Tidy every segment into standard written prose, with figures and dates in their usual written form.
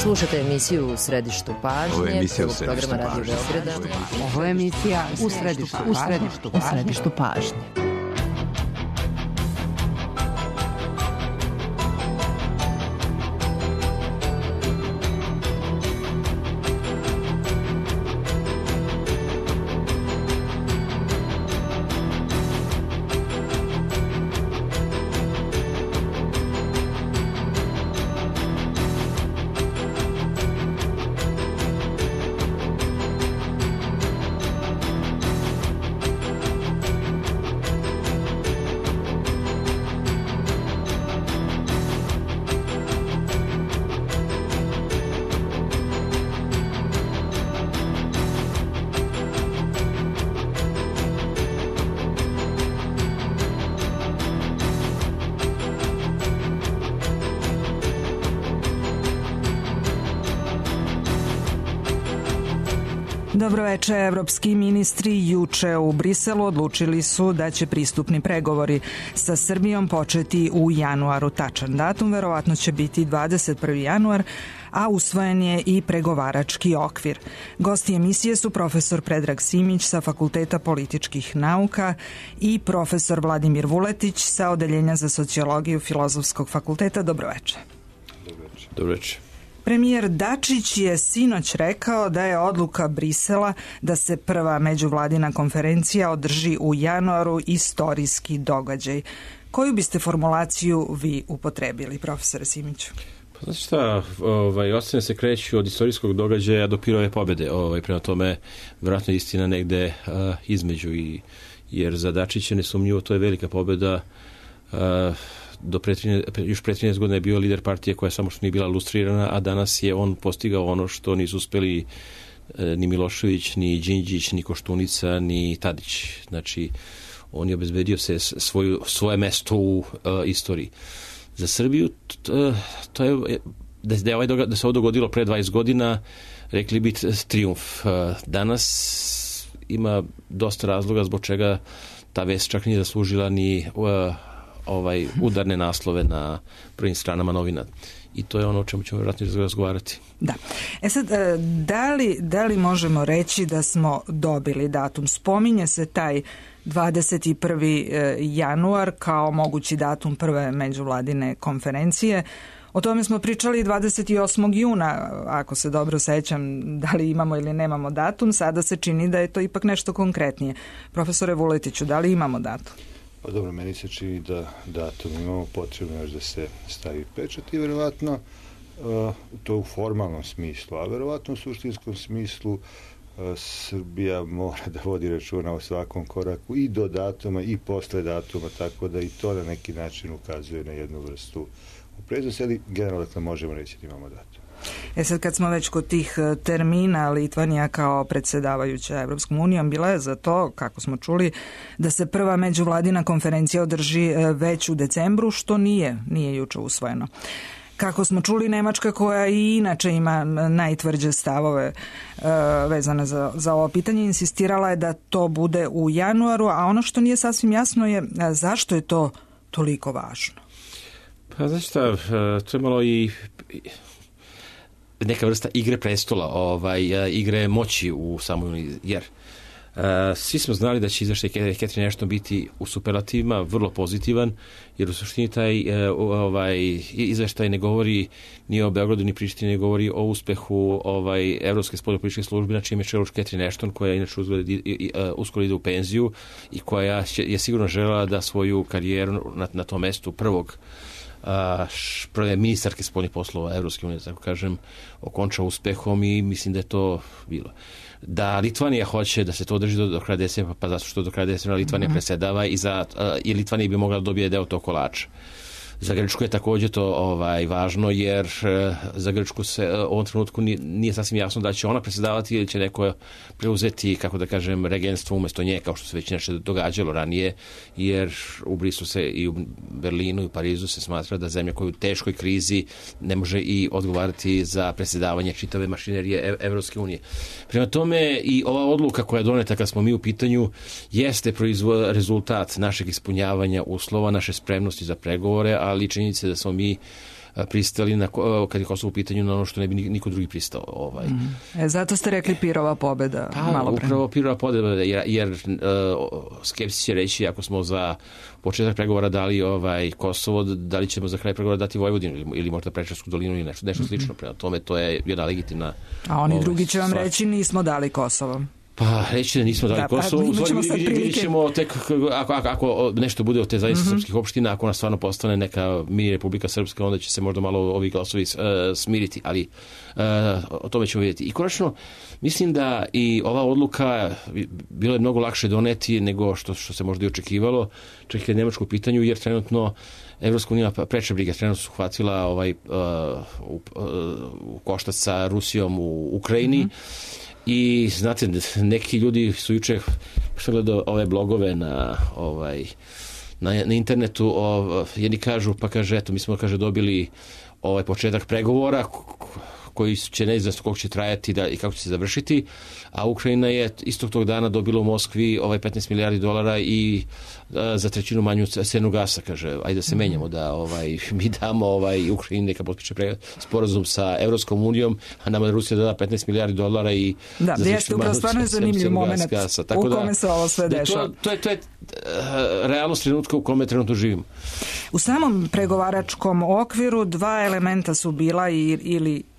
Slušate emisiju U središtu pažnje, prvog programa Radio Beograda. Ovo je emisija U središtu pažnje. Dobroveče. Evropski ministri juče u Briselu odlučili su da će pristupni pregovori sa Srbijom početi u januaru. Tačan datum verovatno će biti 21. januar, a usvojen je i pregovarački okvir. Gosti emisije su profesor Predrag Simić sa Fakulteta političkih nauka i profesor Vladimir Vuletić sa Odeljenja za sociologiju Filozofskog fakulteta. Dobroveče. Dobroveče. Premijer Dačić je sinoć rekao da je odluka Brisela da se prva međuvladina konferencija održi u januaru istorijski događaj. Koju biste formulaciju vi upotrebili, profesore Simiću? Pa znači šta, ocene se kreću od istorijskog događaja do pirove pobede. Prema tome, vjerojatno istina negde između, jer za Dačića nesumnjivo to je velika pobeda. Još pre 13 godina je bio lider partije koja samo što nije bila lustrirana, a danas je on postigao ono što nisu uspeli ni Milošević, ni Đinđić, ni Koštunica, ni Tadić. Znači, on je obezbedio se svoje mesto u istoriji. Za Srbiju to je da se ovo dogodilo pre 20 godina, rekli bi trijumf. Danas ima dosta razloga zbog čega ta vest čak nije zaslužila ni udarne naslove na prvim stranama novina. I to je ono o čemu ćemo vjerojatno razgovarati. Da. Sad, da li možemo reći da smo dobili datum? Spominje se taj 21. januar kao mogući datum prve međuvladine konferencije. O tome smo pričali 28. juna, ako se dobro sećam, da li imamo ili nemamo datum. Sada se čini da je to ipak nešto konkretnije. Profesore Vuletiću, da li imamo datum? Pa dobro, meni se čini da datum imamo potrebno još da se stavi pečat i verovatno to u formalnom smislu, a verovatno u suštinskom smislu Srbija mora da vodi računa o svakom koraku i do datuma i posle datuma, tako da i to na neki način ukazuje na jednu vrstu opreznosti, ali generalno dakle možemo reći da imamo datum. Sad kad smo već kod tih termina, Litvanija kao predsjedavajuća Evropskom unijom bila je za to, kako smo čuli, da se prva međuvladina konferencija održi već u decembru, što nije juče usvojeno. Kako smo čuli, Nemačka, koja i inače ima najtvrđe stavove vezane za ovo pitanje, insistirala je da to bude u januaru, a ono što nije sasvim jasno je zašto je to toliko važno. Pa znači šta, to je malo i neka vrsta igre prestola, igre moći u samoj, jer svi smo znali da će izveštaj Catherine Ashton biti u superlativima vrlo pozitivan, jer u suštini taj izveštaj ne govori ni o Beogradu ni Prištini, ne govori o uspehu Evropske spoljnopolitičke službe, na čijem je čelu Catherine Ashton, koja inače uskoro ide u penziju i koja je sigurno želela da svoju karijeru na tom mestu prve ministarke spoljnih poslova Evropske unije, tako kažem, okonča uspehom i mislim da je to bilo. Da Litvanija hoće da se to održi do kraja decembra, pa zato što do kraja decembra Litvanija presedava i Litvanija bi mogla da dobije deo tog kolača. Za Grčku je također to važno, jer za Grčku se u ovom trenutku nije sasvim jasno da će ona predsjedavati ili će neko preuzeti, kako da kažem, regentstvo umjesto nje, kao što se već nešto događalo ranije, jer u Briselu se i u Berlinu i u Parizu se smatra da zemlja koja je u teškoj krizi ne može i odgovarati za predsjedavanje čitave mašinerije Evropske unije. Prema tome i ova odluka koja je doneta kad smo mi u pitanju jeste rezultat našeg ispunjavanja uslova, naše spremnosti za pregovore, ali činjenica da smo mi pristali kad je Kosovo u pitanju na ono što ne bi niko drugi pristao. Zato ste rekli Pirova pobjeda. Upravo Pirova pobjeda, jer skepsi će reći ako smo za početak pregovora dali Kosovo, da li ćemo za kraj pregovora dati Vojvodinu ili možda Preševsku dolinu ili nešto slično. Prema tome, to je jedna legitimna... A oni drugi će vam reći nismo dali Kosovo. Pa reći da nismo dali Kosovo, vidjet ćemo tek ako nešto bude od te zajednice srpskih opština, ako ona stvarno postane neka mini Republika Srpska, onda će se možda malo ovi glasovi smiriti, ali o tome ćemo vidjeti. I konačno, mislim da i ova odluka bilo je mnogo lakše doneti nego što se možda i očekivalo, čak i kad je Nemačko u pitanju, jer trenutno Evropska unija preče briga, trenutno su hvatila u koštac sa Rusijom u Ukrajini. I znate, neki ljudi su juče gledao ove blogove na internetu, jedni kažu, pa kaže, eto, mi smo dobili početak pregovora koji će neizvjesno koliko će trajati i kako će se završiti, a Ukrajina je istog tog dana dobila u Moskvi $15 milijardi i za trećinu manju cenu gasa, kaže, ajde da se menjamo, da mi damo Ukrajini neka potpiše sporazum sa Evropskom unijom, a nama Rusija da $15 milijardi i da, jeste upravo stvarno je zanimljiv moment u kome se ovo sve dešava. To je realnost trenutka u kome trenutno živimo. U samom pregovaračkom okviru dva elementa su bila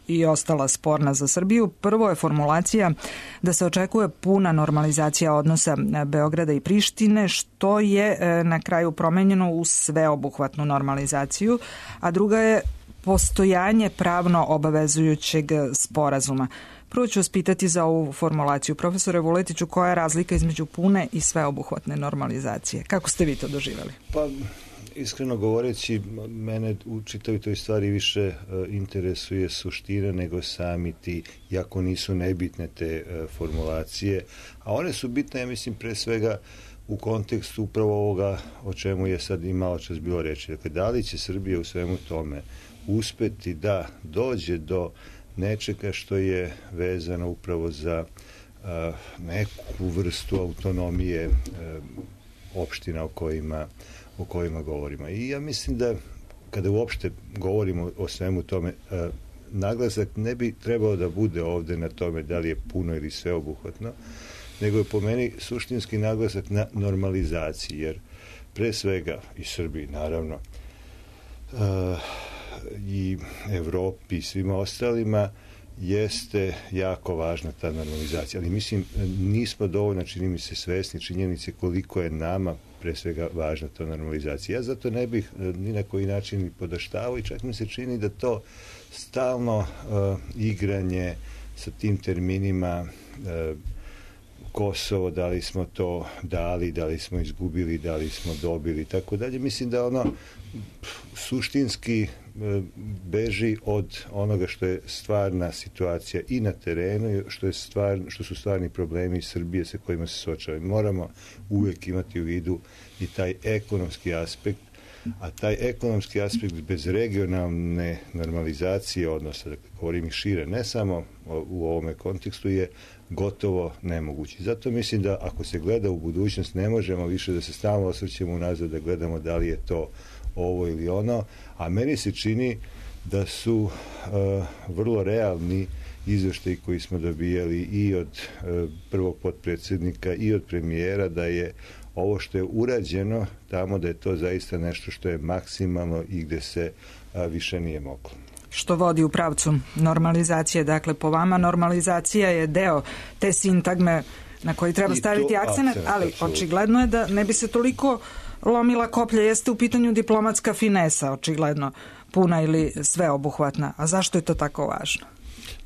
i ostala sporna za Srbiju. Prvo je formulacija da se očekuje puna normalizacija odnosa Beograda i Prištine, što je na kraju promenjeno u sveobuhvatnu normalizaciju, a druga je postojanje pravno obavezujućeg sporazuma. Prvo ću vas pitati za ovu formulaciju. Profesore Vuletiću, koja je razlika između pune i sveobuhvatne normalizacije? Kako ste vi to doživjeli? Pa, iskreno govoreći, mene u čitavoj toj stvari više interesuje suština nego sami ti, jako nisu nebitne te formulacije, a one su bitne, ja mislim, pre svega u kontekstu upravo ovoga o čemu je sad i malo čas bilo reći. Dakle, da li će Srbija u svemu tome uspeti da dođe do nečega što je vezano upravo za neku vrstu autonomije opština o kojima govorimo. I ja mislim da kada uopšte govorimo o svemu tome, naglasak ne bi trebao da bude ovde na tome da li je puno ili sveobuhvatno, nego je po meni suštinski naglasak na normalizaciji, jer pre svega i Srbiji, naravno, i Evropi i svima ostalima jeste jako važna ta normalizacija. Ali mislim, nismo dovoljno, čini mi se, svesni činjenice koliko je nama pre svega važna ta normalizacija. Ja zato ne bih ni na koji način podaštavao i čak mi se čini da to stalno igranje sa tim terminima Kosovo, da li smo to dali, da li smo izgubili, da li smo dobili i tako dalje. Mislim da ono suštinski beži od onoga što je stvarna situacija i na terenu, što su stvarni problemi Srbije sa kojima se suočavamo. Moramo uvijek imati u vidu i taj ekonomski aspekt, a taj ekonomski aspekt bez regionalne normalizacije odnosa, dakle, govorim i šire, ne samo u ovome kontekstu, je gotovo nemogući. Zato mislim da ako se gleda u budućnost, ne možemo više da se stalno osvrćemo unazad, da gledamo da li je to ovo ili ono, a meni se čini da su vrlo realni izveštaji koji smo dobijali i od prvog potpredsjednika i od premijera, da je ovo što je urađeno tamo, da je to zaista nešto što je maksimalno i gde se više nije moglo. Što vodi u pravcu normalizacije. Dakle, po vama normalizacija je deo te sintagme na koji treba staviti akcenat, ali očigledno je da ne bi se toliko lomila koplja. Jeste u pitanju diplomatska finesa, očigledno, puna ili sveobuhvatna. A zašto je to tako važno?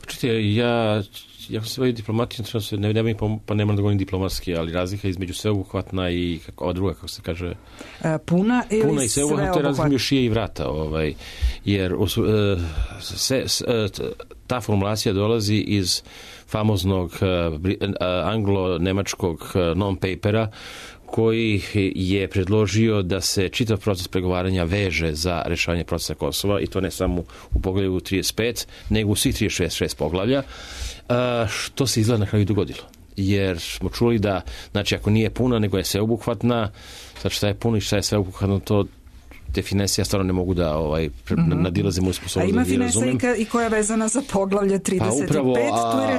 Počujte, ja sam se bavio diplomatijom, pa nemam da govorim diplomatski, ali razlika između sveobuhvatna i ova druga, kako se kaže... Puna i sveobuhvatna. To je razlika među šije i vrata, jer ta formulacija dolazi iz famoznog anglo-nemačkog non-papera, koji je predložio da se čitav proces pregovaranja veže za rešavanje procesa Kosova, i to ne samo u poglavlju 35, nego u svih 36 poglavlja, što se izgleda na kraju dogodilo. Jer smo čuli da, znači, ako nije puna, nego je sveobuhvatna, sad šta je puno i šta je sveobuhvatno, to te finese ja stvarno ne mogu da nadilazim moju sposobnost. A ima finesa i koja je vezana za poglavlje 35, pa upravo, tu je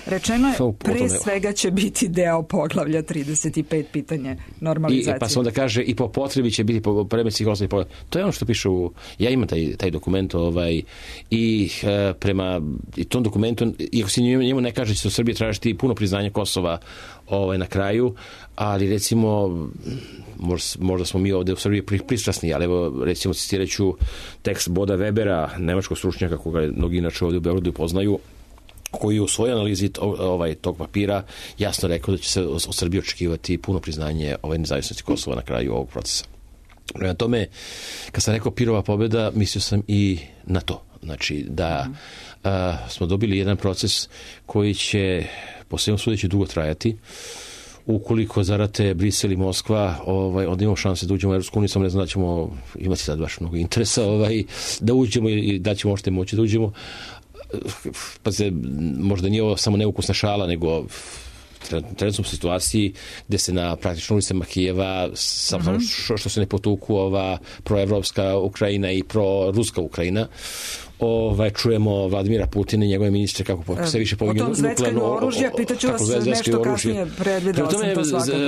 rečeno je pre svega će biti deo poglavlja 35, pitanje normalizacije. Pa se onda kaže i po potrebi će biti predmet poglavlja. To je ono što piše ja imam taj dokument i prema tom dokumentu, iako se njemu ne kaže će se u Srbiji tražiti puno priznanje Kosova na kraju, ali recimo možda smo mi ovde u Srbiji pristrasni, ali evo recimo citiraću tekst Boda Webera, nemačkog stručnjaka koga mnogi inače ovde u Beogradu poznaju, koji u svojoj analizi tog papira jasno rekao da će se od Srbije očekivati puno priznanje nezavisnosti Kosova na kraju ovog procesa. Prema tome, kad sam rekao Pirova pobjeda, mislio sam i na to. Znači da smo dobili jedan proces koji će po svemu sudeći dugo trajati. Ukoliko zarate Brisel i Moskva, onda imamo šanse da uđemo u Evropsku uniju, samo ne znam da ćemo imati sad baš mnogo interesa da uđemo i da ćemo možete moći da uđemo. Pa se, možda nije ovo samo neukusna šala, nego trenutno smo u situaciji gde se na praktično ulicama Kijeva samo što se ne potuku proevropska Ukrajina i proruska Ukrajina, čujemo Vladimira Putina i njegove ministre kako se više povinju nuklearno. O tom zveckanju oružja, pitaću vas nešto kasnije, predvidela sam to svakako.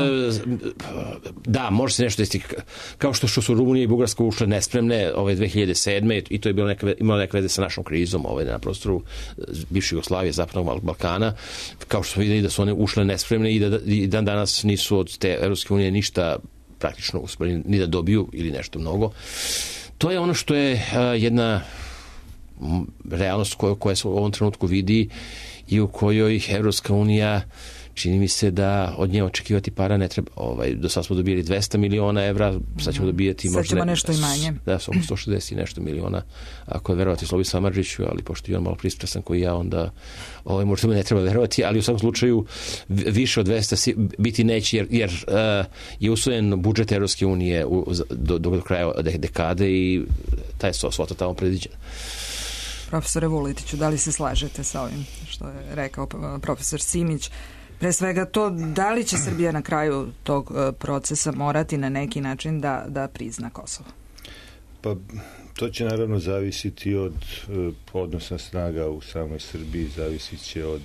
Da, može se nešto desiti. Kao što su Rumunija i Bugarska ušle nespremne 2007. i to je imalo neke veze sa našom krizom na prostoru bivše Jugoslavije, Zapadnog Balkana. Kao što smo videli da su one ušle nespremne i dan danas nisu od te Evropske unije ništa praktično uspeli ni da dobiju ili nešto mnogo. To je ono što je jedna realnost koja se u ovom trenutku vidi i u kojoj Evropska unija, čini mi se da od nje očekivati para ne treba. Do sad smo dobili 200 miliona evra, sad ćemo dobijati možda nešto i manje. Da, oko 160 i nešto miliona, ako je verovati Slobi Samardžiću, ali pošto je on malo pristrasan koji ja, onda možda me ne treba verovati, ali u svakom slučaju više od 200 biti neće, jer je usvojen budžet Evropske unije do kraja dekade i ta je svota tamo predviđena. Profesore Vuletiću, da li se slažete sa ovim što je rekao profesor Simić? Pre svega to, da li će Srbija na kraju tog procesa morati na neki način da prizna Kosovo? Pa to će naravno zavisiti od odnosa snaga u samoj Srbiji, zavisit će od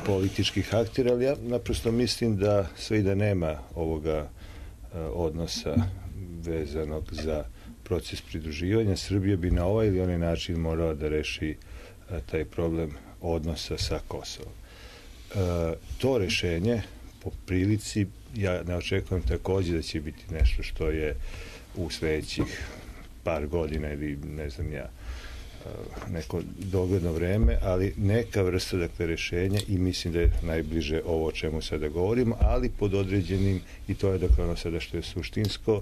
političkih aktera, ali ja naprosto mislim da sve i da nema ovoga odnosa vezanog za proces pridruživanja, Srbija bi na ovaj ili onaj način morala da reši taj problem odnosa sa Kosovom. To rešenje, po prilici, ja ne očekujem takođe da će biti nešto što je u sledećih par godina ili ne znam ja, neko dogledno vreme, ali neka vrsta rešenja i mislim da je najbliže ovo o čemu sada govorimo, ali pod određenim, i to je ono sada što je suštinsko,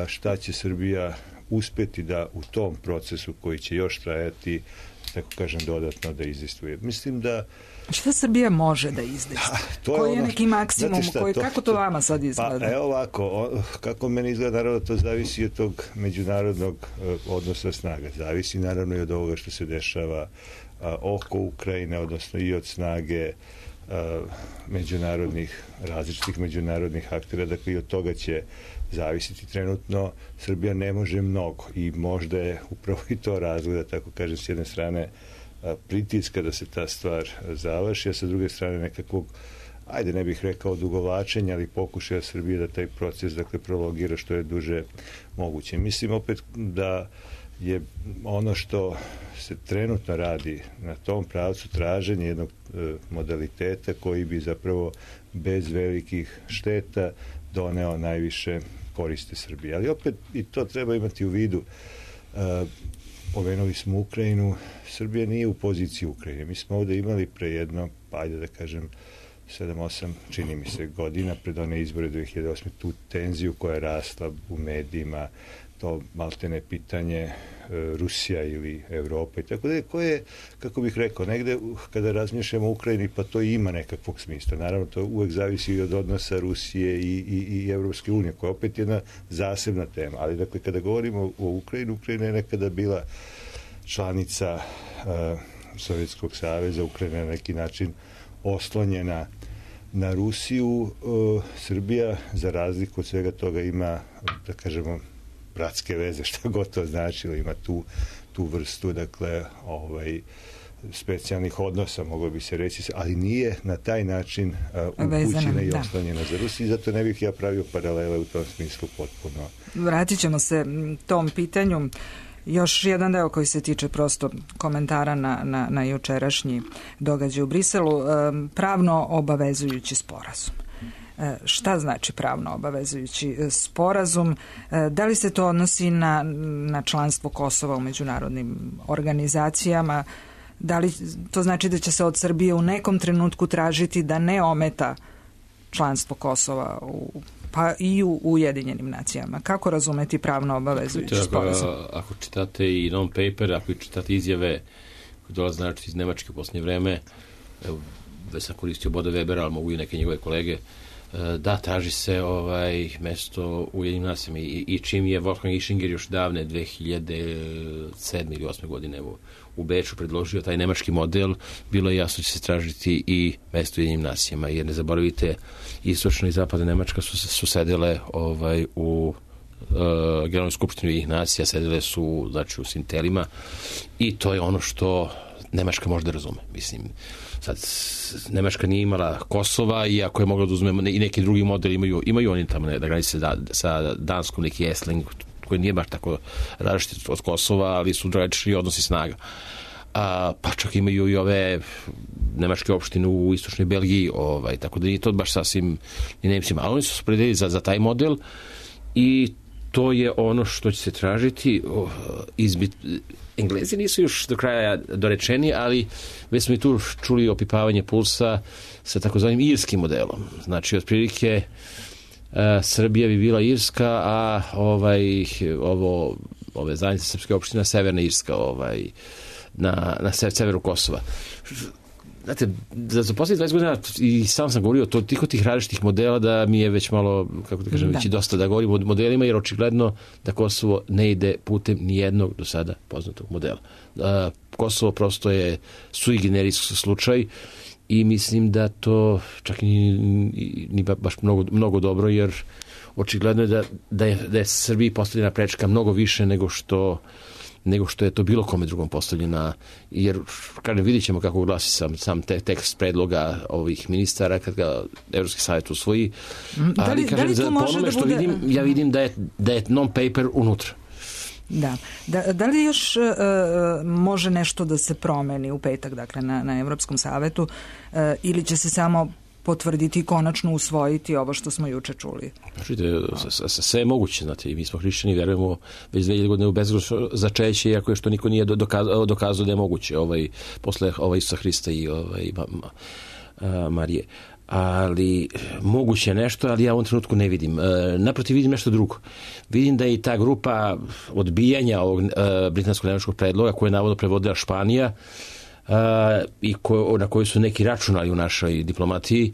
šta će Srbija uspeti da u tom procesu koji će još trajati, tako kažem, dodatno da izdejstvuje. Mislim da... Šta Srbija može da izdejstvuje? Koji je neki maksimum? Kako to vama sad izgleda? Pa evo ovako, kako meni izgleda, naravno to zavisi od tog međunarodnog odnosa snaga. Zavisi naravno i od ovoga što se dešava oko Ukrajine, odnosno i od snage različitih međunarodnih aktera, dakle i od toga će zavisiti. Trenutno Srbija ne može mnogo i možda je upravo i to razgleda, tako kažem, s jedne strane pritiska da se ta stvar završi, a sa druge strane nekakvog, ajde ne bih rekao odugovlačenja, ali pokušaja Srbije da taj proces prologira što je duže moguće. Mislim opet da je ono što se trenutno radi na tom pravcu traženje jednog modaliteta koji bi zapravo bez velikih šteta doneo najviše koriste Srbije. Ali opet i to treba imati u vidu. Pomenuli smo Ukrajinu. Srbija nije u poziciji Ukrajine. Mi smo ovde imali pre jedno, ajde da kažem, 7-8, čini mi se, godina pred one izbore 2008. tu tenziju koja je rasla u medijima, to maltene pitanje Rusija ili Evropa i tako da koje, kako bih rekao, negde kada razmišljamo o Ukrajini, pa to ima nekakvog smisla. Naravno, to uvek zavisi i od odnosa Rusije i Evropske unije, koja je opet jedna zasebna tema. Ali, dakle, kada govorimo o Ukrajini, Ukrajina je nekada bila članica Sovjetskog saveza, Ukrajina je na neki način oslonjena na Rusiju. Srbija, za razliku od svega toga, ima, da kažemo, bratske veze, šta god to značilo, ima tu vrstu, dakle, specijalnih odnosa, moglo bi se reći, ali nije na taj način upućena i oslanjena za Rusiju, zato ne bih ja pravio paralele u tom smislu potpuno. Vratit ćemo se tom pitanju. Još jedan deo koji se tiče prosto komentara na jučerašnji događaj u Briselu, pravno obavezujući sporazum. Šta znači pravno obavezujući sporazum? Da li se to odnosi na članstvo Kosova u međunarodnim organizacijama? Da li to znači da će se od Srbije u nekom trenutku tražiti da ne ometa članstvo Kosova pa i u Ujedinjenim nacijama? Kako razumeti pravno obavezujući sporazum? Ako čitate i non-paper, ako čitate izjave koje dolaze znači iz Nemačke u posljednje vreme, evo, već sam koristio Boda Webera, ali mogu i neke njegove kolege, da, traži se mesto u Ujedinjenim nacijama i čim je Wolfgang Ischinger još davne 2007. ili 2008. godine u Beču predložio taj nemački model, bilo je jasno da će se tražiti i mesto u Ujedinjenim nacijama, jer ne zaboravite, istočna i zapadna Nemačka su sedele u Generalnoj skupštini Ujedinjenih nacija, sedele su znači u sintelima i to je ono što Nemačka može da razume. Mislim, sad Nemačka nije imala Kosova i ako je mogla da uzme i neki drugi model, imaju oni tamo da granice sa Danskom, neki Esling koji nije baš tako različit od Kosova, ali su drugačiji odnosi snaga. Pa čak imaju i ove nemačke opštine u istočnoj Belgiji, tako da nije to baš sasvim ni Nemcima, ali oni su se opredelili za taj model i to je ono što će se tražiti. Englezi nisu još do kraja dorečeni, ali već smo i tu čuli opipavanje pulsa sa takozvanim irskim modelom. Znači, otprilike Srbija bi bila Irska, a ove zajednice srpske opštine Severna Irska na severu Kosova. Znate, za posljednjih 20 godina i sam govorio tih različitih modela da mi je već malo, kako da kažem, već i dosta da govorim o modelima, jer očigledno da Kosovo ne ide putem nijednog do sada poznatog modela. Kosovo prosto je sui generis slučaj i mislim da to čak ni baš mnogo dobro, jer očigledno je da je Srbiji postavljena prečka mnogo više nego što je to bilo kome drugom postavljena, jer kada vidjet ćemo kako glasi sam tekst predloga ovih ministara kad ga Evropski savjet usvoji, ali kažem, po onome što vidim, ja vidim da je non-paper unutra. Da. Da li još može nešto da se promeni u petak, dakle na Evropskom savetu, ili će se samo potvrditi i konačno usvojiti ovo što smo juče čuli? Čujte, sve je moguće, znate, i mi smo hrišćani, verujemo već 2000 godine u bezgrešno začeće, iako je što niko nije dokazao da je moguće, posle Isusa Hrista i Marije. Ali moguće nešto, ali ja u ovom trenutku ne vidim. Naprotiv, vidim nešto drugo. Vidim da je i ta grupa odbijanja ovog britansko-nemačkog predloga koje je navodno prevodila Španija, i na koji su neki računali u našoj diplomatiji,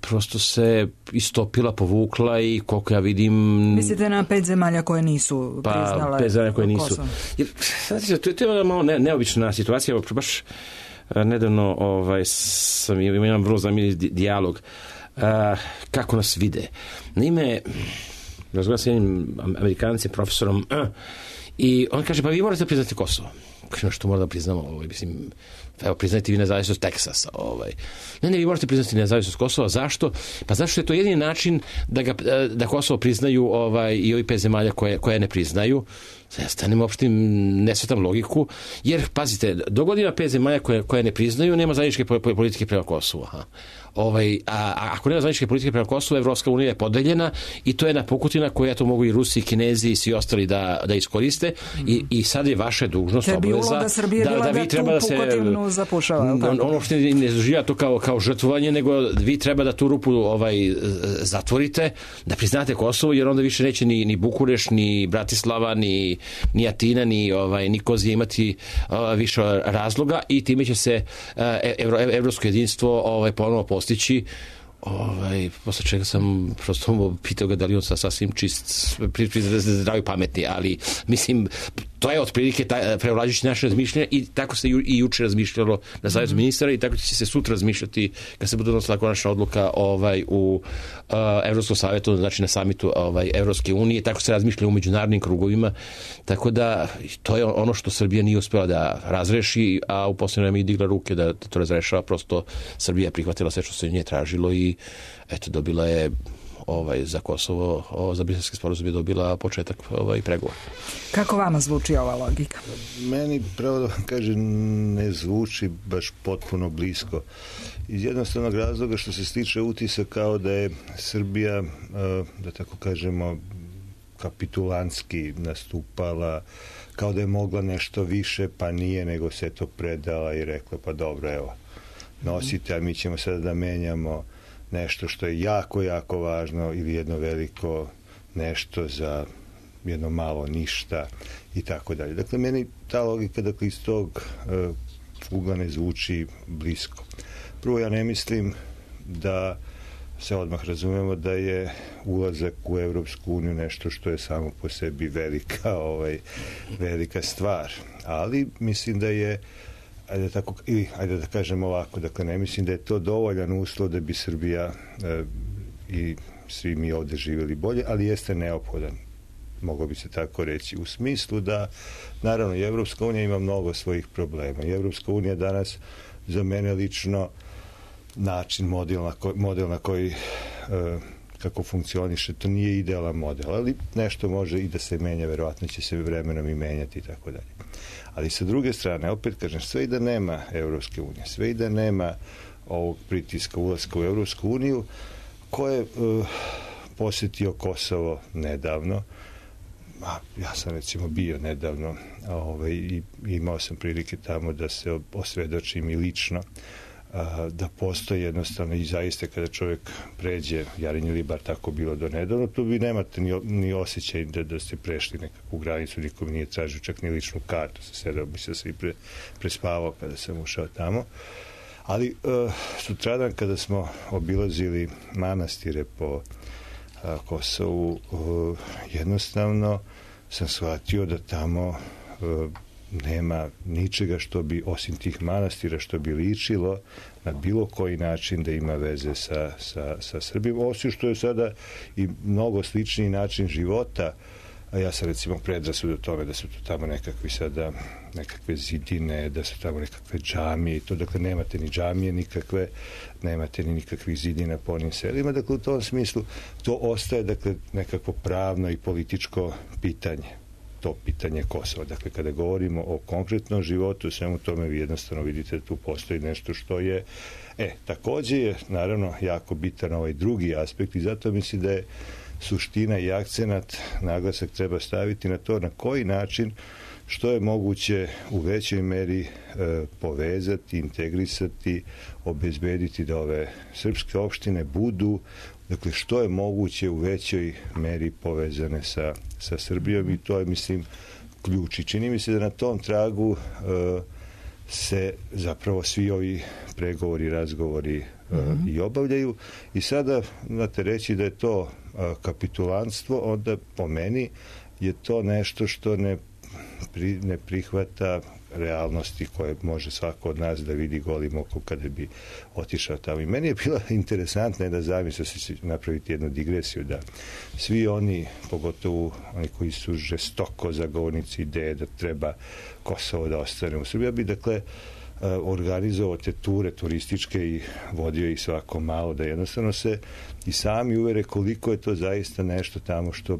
prosto se istopila, povukla i koliko ja vidim... Mislite na 5 zemalja koje nisu priznale 5 zemalja koje nisu. Jer, znate, to je malo neobična situacija, baš nedavno sam imao vrlo zanimljiv dijalog kako nas vide. Naime, razgovaram sa jednim Amerikancem, profesorom, i on kaže, pa vi morate priznati Kosovo. Kaže, što mora da priznamo? Mislim, evo, priznajte vi nezavisnost Teksasa. Ne, vi morate priznati nezavisnost Kosova. Zašto? Pa zašto je to jedini način da Kosovo priznaju i ovi 5 zemalja koje ne priznaju. Ja stanem uopšte ne shvatam logiku, jer, pazite, do godina 5 zemalja koje ne priznaju, nema zajedničke politike prema Kosovu. A ako nema zajedničke politike prema Kosovu, Evropska unija je podeljena i to je jedna pukutina koju to mogu i Rusi, i Kinezi i svi ostali da iskoriste i sad je vaša dužnost, obaveza da vi treba da se ono što ne doživlja to kao žrtvovanje, nego vi treba da tu rupu zatvorite, da priznate Kosovo, jer onda više neće ni Bukureš, ni Bratislava, ni Atina, ni Kozije imati više razloga i time će se evropsko jedinstvo ponovno postići. Posle čega sam prosto pitao ga da li on sasvim čist, zdravi, pametni, ali mislim, To je otprilike prevlađujući naše razmišljanje i tako se i juče razmišljalo na Savjetu ministara i tako će se sutra razmišljati kad se bude donosila konačna odluka u Evropskom savjetu, znači na samitu Evropske unije, tako se razmišlja u međunarodnim krugovima, tako da to je ono što Srbija nije uspela da razreši, a u posljednje vreme i digla ruke da to razrešava, prosto Srbija je prihvatila sve što se nje tražilo i eto, dobila je za Kosovo, za briselski sporazum je dobila početak pregovora. Kako vama zvuči ova logika? Meni, pravo da vam kažem, ne zvuči baš potpuno blisko. Iz jednostavnog razloga što se stiče utisak kao da je Srbija, da tako kažemo, kapitulantski nastupala, kao da je mogla nešto više, pa nije, nego se to predala i rekla, pa dobro, evo, nosite, a mi ćemo sada da menjamo nešto što je jako, jako važno ili jedno veliko nešto za jedno malo ništa i tako dalje. Dakle, meni ta logika, dakle, iz tog ugla ne zvuči blisko. Prvo, ja ne mislim da se odmah razumemo da je ulazak u Evropsku uniju nešto što je samo po sebi velika stvar. Ali mislim da je, ajde da kažem ovako, dakle, ne mislim da je to dovoljan uslov da bi Srbija i svi mi ovde živjeli bolje, ali jeste neophodan, moglo bi se tako reći, u smislu da, naravno, i Evropska unija ima mnogo svojih problema. I Evropska unija danas, za mene lično, način, model na koji kako funkcioniše, to nije idealan model, ali nešto može i da se menja, verovatno će se vremenom i menjati i tako dalje. Ali sa druge strane, opet kažem, sve i da nema Evropske unije, sve i da nema ovog pritiska ulaska u Evropsku uniju, ko je posjetio Kosovo nedavno, ja sam recimo bio nedavno i imao sam prilike tamo da se osvedočim i lično, da postoji jednostavno i zaista kada čovjek pređe Jarinje ili bar tako bilo do nedavno, tu vi nemate ni osjećaj da ste prešli nekakvu granicu, nikom nije tražio čak ni ličnu kartu, sedao bi se i prespavao kada sam ušao tamo. Ali sutradan kada smo obilazili manastire po Kosovu, jednostavno sam shvatio da tamo nema ničega što bi, osim tih manastira, što bi ličilo na bilo koji način da ima veze sa Srbijom, osim što je sada i mnogo sličniji način života. A ja sam recimo predrasud o tome da su to tamo nekakve zidine, da su tamo nekakve džamije i to, dakle nemate ni džamije nikakve, nemate ni nikakvih zidina po onim selima, dakle u tom smislu to ostaje, dakle, nekakvo pravno i političko pitanje, to pitanje Kosova. Dakle, kada govorimo o konkretnom životu, svemu tome vi jednostavno vidite da tu postoji nešto što je, takođe je naravno jako bitan ovaj drugi aspekt i zato mislim da je suština i akcenat, naglasak treba staviti na to na koji način, što je moguće u većoj meri povezati, integrisati, obezbediti da ove srpske opštine budu, dakle, što je moguće u većoj meri povezane sa Srbijom i to je, mislim, ključ. I čini mi se da na tom tragu se zapravo svi ovi pregovori, razgovori i obavljaju. I sada, znate, reći da je to kapitulantstvo, onda po meni je to nešto što ne prihvata realnosti koje može svako od nas da vidi golim okom kada bi otišao tamo. I meni je bila interesantna da zamisla se napraviti jednu digresiju, da svi oni, pogotovo oni koji su žestoko zagovornici ideje da treba Kosovo da ostane u Srbiji, ja bi, dakle, organizovao te ture turističke i vodio ih svako malo, da jednostavno se i sami uvere koliko je to zaista nešto tamo što,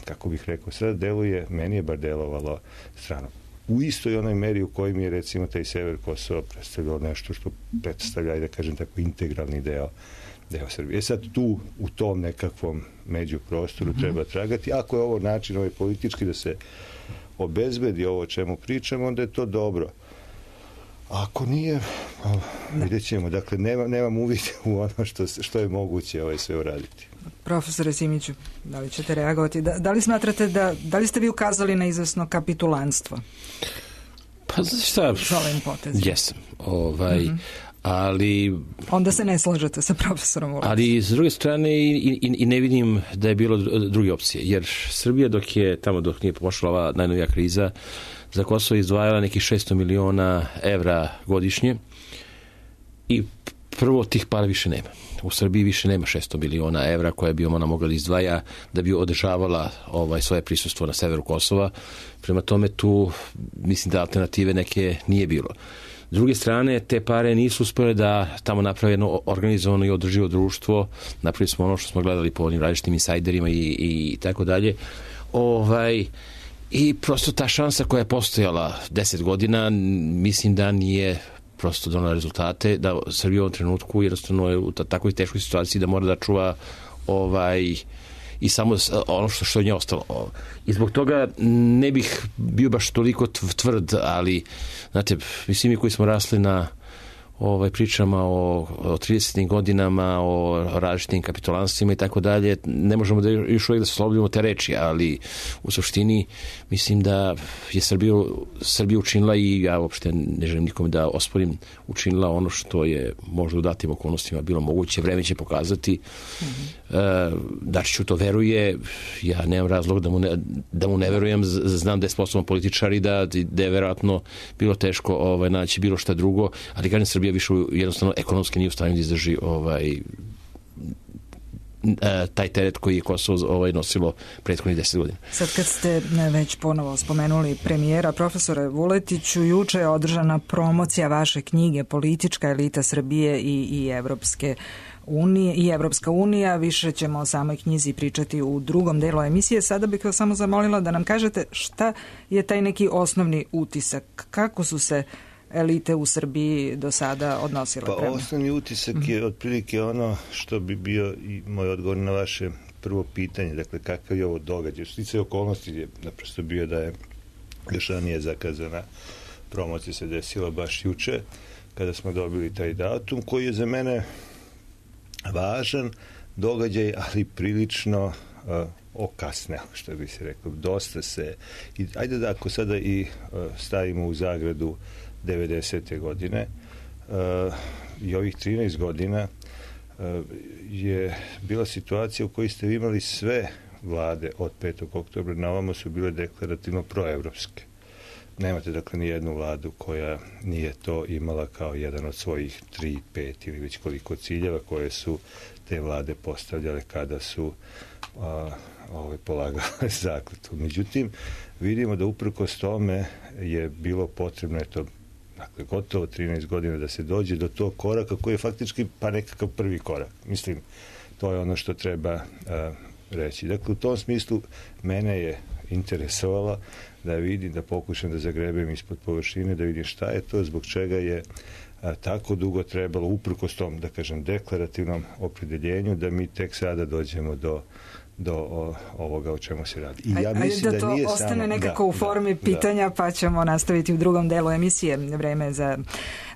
kako bih rekao, sada deluje, meni je bar delovalo strano. U istoj onoj meri u kojoj mi je, recimo, taj sever Kosova predstavljao nešto što predstavlja, da kažem tako, integralni deo Srbije. Sad tu, u tom nekakvom međuprostoru treba tragati. Ako je ovo način, ovaj politički, da se obezbedi ovo o čemu pričamo, onda je to dobro. Ako nije, vidjet ćemo. Dakle, nemam uvid u ono što je moguće sve uraditi. Profesore Simiću, da li ćete reagovati? Da li smatrate da li ste vi ukazali na izvesno kapitulantstvo? Pa, znaš šta? S ovim potezom. Jesam. Ali onda se ne slažete sa profesorom Vuletićem. Ali s druge strane i ne vidim da je bilo druge opcije, jer Srbija dok nije pošla ova najnovija kriza, za Kosovo izdvajala nekih 600 miliona evra godišnje i prvo tih para više nema. U Srbiji više nema 600 miliona evra koje bi ona mogla da izdvaja da bi održavala svoje prisustvo na severu Kosova. Prema tome tu mislim da alternative neke nije bilo. S druge strane, te pare nisu uspjele da tamo naprave jedno organizovano i održivo društvo. Napravili smo ono što smo gledali po onim različitim insajderima i tako dalje. I prosto ta šansa koja je postojala 10 godina, mislim da nije prosto donala rezultate, da Srbija u ovom trenutku jednostavno je u takvoj teškoj situaciji da mora da čuva i samo ono što je nje ostalo. I zbog toga ne bih bio baš toliko tvrd, ali znate, svi mi koji smo rasli na pričama o 30. godinama, o različitim kapitulanstvima i tako dalje, ne možemo da još uvijek da se slobodimo te reči, ali u suštini mislim da je Srbija učinila, i ja uopšte ne želim nikome da osporim, učinila ono što je možda u datim okolnostima bilo moguće. Vreme će pokazati. Dačiću to veruje, ja nemam razlog da mu ne verujem, znam da je sposoban političar i da je verovatno bilo teško naći bilo šta drugo, ali kažem, Srbija više jednostavno ekonomski nije u stanju da izdrži taj teret koji je Kosovo nosilo prethodnih 10 godina. Sad kad ste već ponovo spomenuli premijera, profesore Vuletiću, juče je održana promocija vaše knjige Politička elita Srbije i Evropska unija. Više ćemo o samoj knjizi pričati u drugom delu emisije. Sada bih vas samo zamolila da nam kažete šta je taj neki osnovni utisak. Kako su se elite u Srbiji do sada odnosile prema? Osnovni utisak je otprilike ono što bi bio i moj odgovor na vaše prvo pitanje. Dakle, kakav je ovo događaj? Sticajem okolnosti je naprosto bio da je još ranije zakazana promocija se desila baš juče, kada smo dobili taj datum, koji je za mene važan događaj, ali prilično okasneo, što bi se rekao. Dosta se... Ajde da ako sada i stavimo u zagradu 90. godine i ovih 13 godina je bila situacija u kojoj ste imali sve vlade od 5. oktobra na ovamo su bile deklarativno proevropske. Nemate dakle ni jednu vladu koja nije to imala kao jedan od svojih 3, 5 ili već koliko ciljeva koje su te vlade postavljale kada su polagale zakletvu. Međutim, vidimo da uprkos tome je bilo potrebno dakle, gotovo 13 godina da se dođe do tog koraka koji je faktički pa nekakav prvi korak. Mislim, to je ono što treba reći. Dakle, u tom smislu mene je interesovalo da vidim, da pokušam da zagrebem ispod površine, da vidim šta je to, zbog čega je tako dugo trebalo, uprkos tom, da kažem, deklarativnom opredeljenju, da mi tek sada dođemo do ovoga o čemu se radi. I ja mislim da to ostane nekako u formi pitanja, pa ćemo nastaviti u drugom delu emisije. Vreme za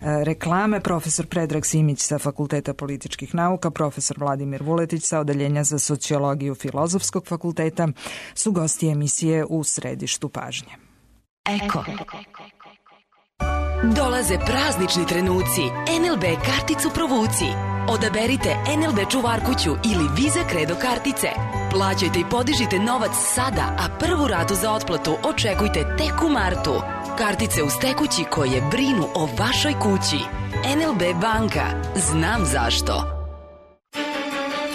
reklame. Profesor Predrag Simić sa Fakulteta političkih nauka, profesor Vladimir Vuletić sa Odeljenja za sociologiju Filozofskog fakulteta su gosti emisije U središtu pažnje. Eko. Dolaze praznični trenuci. NLB karticu provuci. Odaberite NLB čuvarkuću ili Visa Credo kartice. Plaćajte i podižite novac sada, a prvu ratu za otplatu očekujte tek u martu. Kartice uz tekući koje brinu o vašoj kući. NLB banka. Znam zašto.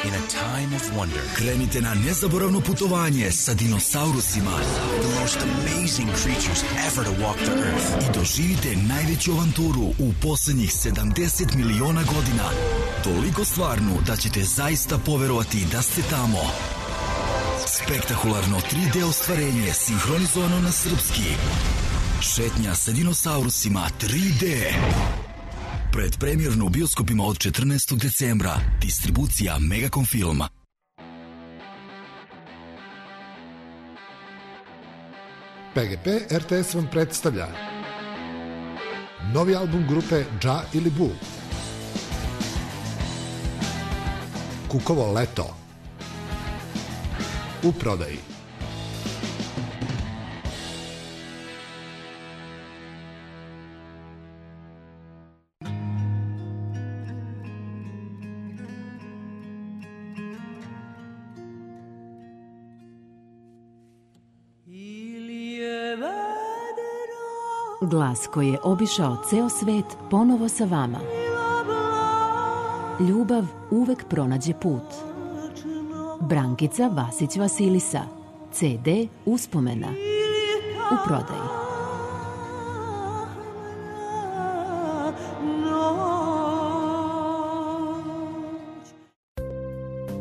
In a time of wonder, krenite na nezaboravno putovanje sa dinosaurusima. The most amazing creatures ever to walk the earth. I doživite najveću avanturu u poslednjih 70 miliona godina. Toliko stvarnu da ćete zaista poverovati da ste tamo. Spektakularno 3D ostvarenje sinhronizovano na srpski. Šetnja sa dinosaurusima 3D. Predpremjerno u bioskopima od 14. decembra. Distribucija Megacom Filma. PGP RTS vam predstavlja novi album grupe Dža ili Bu. Kukovo leto. U prodaji. Glas koji je obišao ceo svet ponovo sa vama. Ljubav uvek pronađe put. Brankica Vasić Vasilisa. CD Uspomena. U prodaji.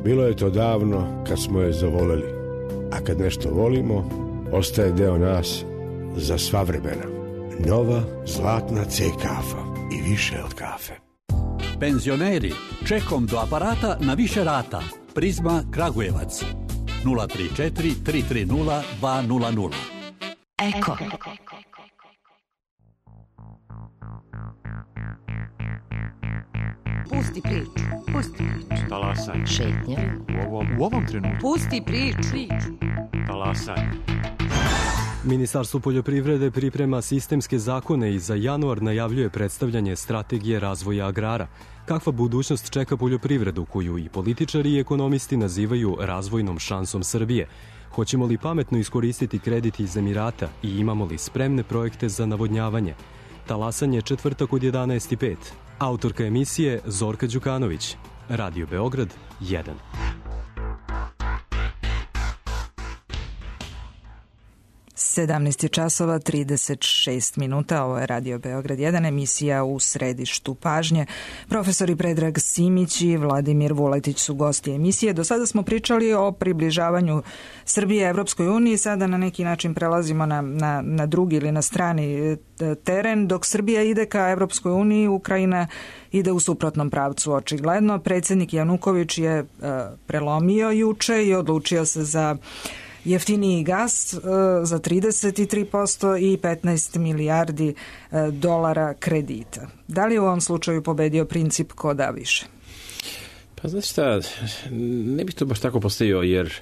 Bilo je to davno kad smo je zavoleli, a kad nešto volimo, ostaje deo nas za sva vremena. Nova zlatna C kafa i više od kafe. Penzioneri, čekom do aparata na više rata. Prizma Kragujevac 034 330 200. Eko. Pusti priču. Pusti priču. Talasaj. Šetnja. U ovom trenutku. Pusti priču. Talasaj. Ministarstvo poljoprivrede priprema sistemske zakone i za januar najavljuje predstavljanje strategije razvoja agrara. Kakva budućnost čeka poljoprivredu koju i političari i ekonomisti nazivaju razvojnom šansom Srbije? Hoćemo li pametno iskoristiti kredit iz Emirata i imamo li spremne projekte za navodnjavanje? Talasanje četvrtak od 11:05. Autorka emisije Zorka Đukanović. Radio Beograd 1. Sedamnaest časova 36 minuta. Ovo je Radio Beograd 1, emisija U središtu pažnje. Profesori Predrag Simić i Vladimir Vuletić su gosti emisije. Do sada smo pričali o približavanju Srbije Evropskoj uniji. Sada na neki način prelazimo na drugi ili na strani teren. Dok Srbija ide ka Evropskoj uniji, Ukrajina ide u suprotnom pravcu očigledno. Predsjednik Januković je prelomio juče i odlučio se za jeftiniji gas za 33% i 15 milijardi dolara kredita. Da li u ovom slučaju pobedio princip ko da više? Pa znači šta, ne bih to baš tako postavio, jer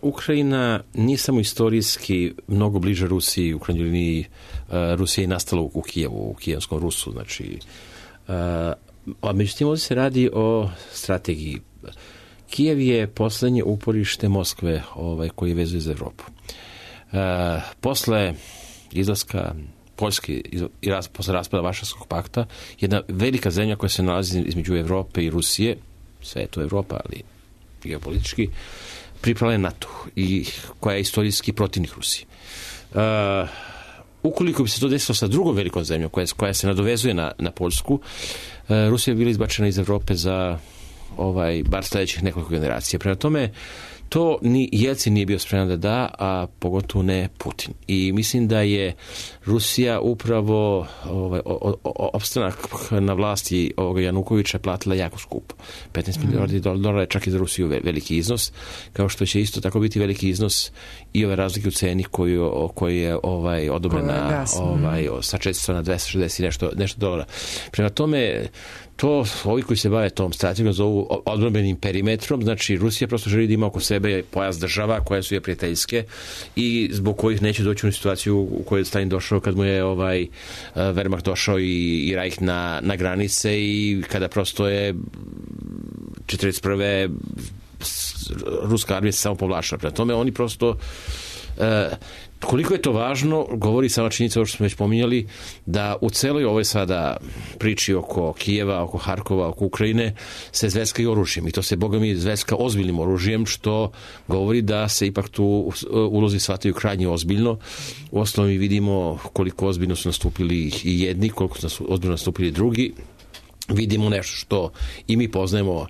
Ukrajina nije samo istorijski mnogo bliže Rusiji, u krajnjoj liniji Rusija je nastala u Kijevu, u kijevskom Rusu, znači, a međutim ovdje se radi o strategiji. Kijev je poslednje uporište Moskve koji vezuje za Evropu. Posle izlaska Poljske i posle raspada Varšavskog pakta, jedna velika zemlja koja se nalazi između Evrope i Rusije, sve je to Evropa, ali geopolitički, pripala je NATO i koja je istorijski protivnik Rusije. Ukoliko bi se to desilo sa drugom velikom zemljom koja se nadovezuje na Poljsku, Rusija bi bila izbačena iz Evrope za bar sledećih nekoliko generacija. Prema tome, to ni Jelcin nije bio spreman da, a pogotovo ne Putin. I mislim da je Rusija upravo opstanak na vlasti ovoga Janukovića platila jako skupo. 15 milijardi dolara je čak i za Rusiju veliki iznos, kao što će isto tako biti veliki iznos i ove razlike u ceni koji je odobrena sa 400 na 260 i nešto dolara. Prema tome, to ovi koji se bave tom strategijom zovu odbrambenim perimetrom, znači Rusija prosto želi da ima oko sebe pojas država koje su je prijateljske i zbog kojih neće doći u situaciju u kojoj je Stalin došao kad mu je Wehrmacht došao i Reich na granice i kada prosto je 1941. ruska armija se samo povlačila. Prema tome oni prosto koliko je to važno, govori sama činjenica ovo što smo već pominjali, da u celoj ovoj sada priči oko Kijeva, oko Harkova, oko Ukrajine se zveska i oružjem. I to se, boga mi, zveska ozbiljnim oružjem, što govori da se ipak tu ulozi shvataju krajnje ozbiljno. U osnovu mi vidimo koliko ozbiljno su nastupili i jedni, koliko su ozbiljno nastupili drugi. Vidimo nešto što i mi poznajemo,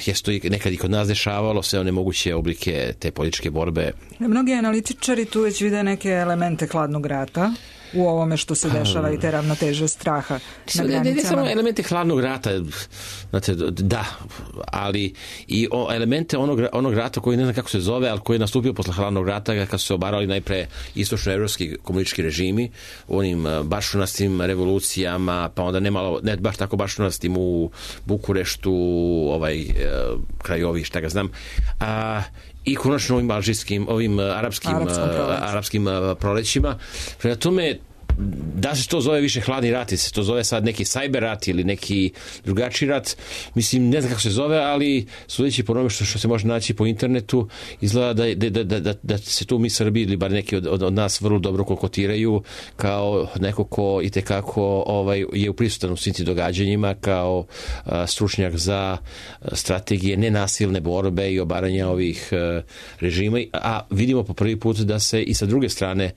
je to nekad i kod nas dešavalo, sve one moguće oblike te političke borbe. Mnogi analitičari tu već vide neke elemente hladnog rata u ovome što se dešava i te ravnoteže straha na granicama. Ne samo elemente hladnog rata, znate, da, ali i elemente onog rata koji ne znam kako se zove, ali koji je nastupio posle hladnog rata kad su se obarali najpre istočnoevropski komunistički režimi, onim bašunastim revolucijama, pa onda ne baš tako bašunastim u Bukureštu, krajovi, šta ga znam, i konačno ovim alžijskim, arapskim prolećima. Prema tome, da se to zove više hladni rat, se to zove sad neki cyber rat ili neki drugačiji rat, mislim, ne znam kako se zove, ali sudeći po onome što se može naći po internetu, izgleda da se tu mi Srbi ili bar neki od nas vrlo dobro kokotiraju kao neko ko itekako je uprisutan u svim tim događanjima, kao stručnjak za strategije nenasilne borbe i obaranja ovih režima, a vidimo po prvi put da se i sa druge strane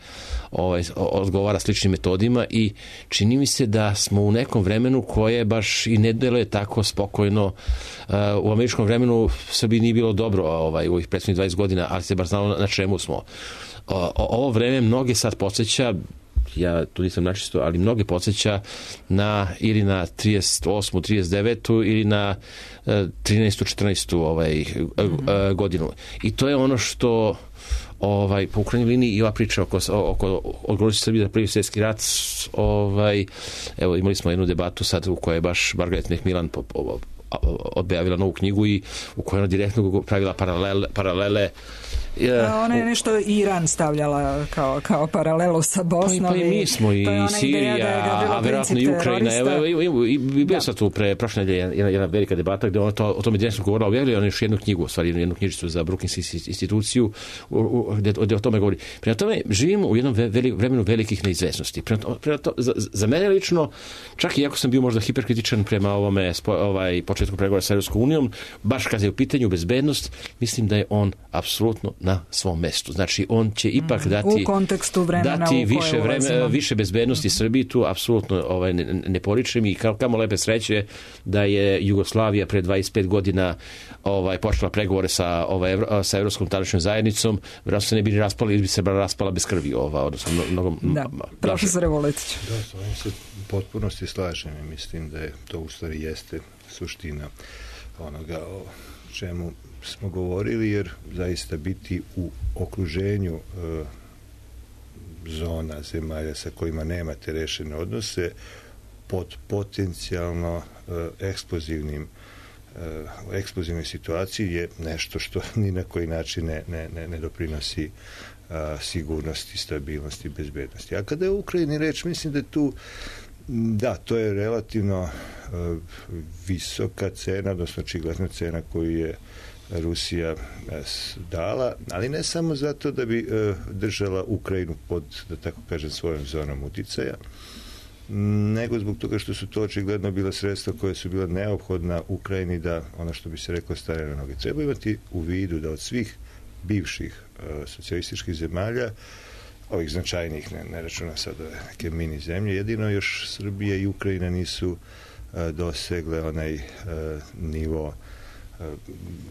odgovara sličnim metodima i čini mi se da smo u nekom vremenu koje baš i ne deluje tako spokojno. U američkom vremenu Srbiji nije bilo dobro u ovih prethodnih 20 godina, ali se baš znalo na čemu smo. Ovo vreme mnoge sad podsjeća, ja tu nisam načisto, ali mnoge podsjeća ili na 38. 39. ili na 13. 14. godinu. I to je ono što po krajnjoj liniji i ova priča oko odgovornosti Srbije za Prvi svjetski rat, evo imali smo jednu debatu sad u kojoj je baš Margaret Macmillan objavila novu knjigu i u kojoj ona direktno pravila paralele. Ona je nešto Iran stavljala kao paralelu sa Bosnom. Pa i mi smo i Sirija, a verovatno i Ukrajina. I bio sam tu prošle nedelje jedna velika debata gde ona o tome direktno govorila, objavila ona još jednu knjigu, u stvari jednu knjižicu za Brookings instituciju gde o tome govori. Prema tome, živimo u jednom vremenu velikih neizvesnosti. Za mene lično, čak i ako sam bio možda hiperkritičan prema ovome početku pregovora sa Evropskom unijom, baš kad je u pitanju bezbednost, mislim da je on apsolutno na svom mestu. Znači, on će ipak dati u kontekstu vremena dati više bezbednosti Srbiji, tu apsolutno ne poričem i kamo lepe sreće da je Jugoslavija pre 25 godina počela pregovore sa Evropskom tadašnjom zajednicom, vjerojatno se ne bi ni raspala ili bi se raspala bez krvi. Profesore Vuletiću. Da, s ovim se potpunosti slažem i mislim da je to u stvari jeste suština onoga o čemu smo govorili, jer zaista biti u okruženju zona zemalja sa kojima nemate rešene odnose pod potencijalno eksplozivnoj situaciji je nešto što ni na koji način ne doprinosi sigurnosti, stabilnosti, bezbednosti. A kada je u Ukrajini reč, mislim da je tu to je relativno visoka cena, odnosno očigledna cena koju je Rusija dala, ali ne samo zato da bi držala Ukrajinu pod, da tako kažem, svojom zonom uticaja, nego zbog toga što su to očigledno bila sredstva koje su bila neophodna Ukrajini da, ono što bi se reklo, stane na noge. Treba imati u vidu da od svih bivših socijalističkih zemalja, ovih značajnih, ne računa sad neke mini zemlje, jedino još Srbija i Ukrajina nisu dosegle onaj nivo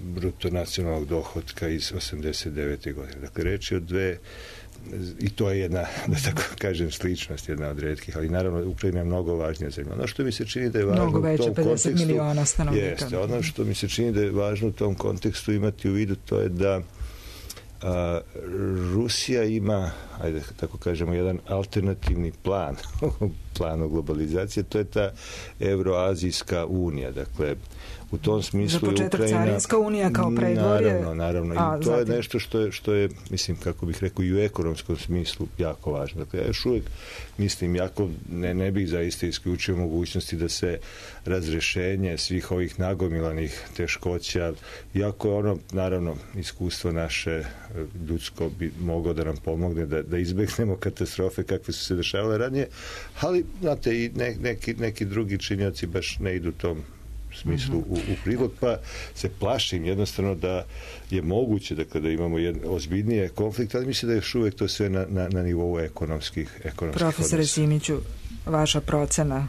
bruto nacionalnog dohotka iz 89. godine. Dakle, reč je o dve, i to je jedna, da tako kažem, sličnost, jedna od retkih, ali naravno Ukrajina je mnogo važnija zemlja. Ono što mi se čini da je važno mnogo veće, 50 miliona stanovnika. Jeste, ono što mi se čini da je važno u tom kontekstu imati u vidu, to je da Rusija ima, ajde tako kažemo, jedan alternativni plan planu globalizacije, to je ta Evroazijska unija. Dakle, u tom smislu za početak Carinska unija kao predvorje. Naravno. I to je nešto što je, mislim, kako bih rekao, i u ekonomskom smislu jako važno. Dakle, ja još uvijek mislim, jako ne bih zaista isključio mogućnosti da se razrešenje svih ovih nagomilanih teškoća, iako je ono, naravno, iskustvo naše ljudsko bi moglo da nam pomogne da izbegnemo katastrofe kakve su se dešavale ranije, ali, znate, i neki drugi činioci baš ne idu tom smislu u prilog, pa se plašim jednostavno da je moguće da kada imamo ozbiljnije konflikte, ali mislim da je još uvijek to sve na nivou ekonomskih Profesore Simiću, vaša procena.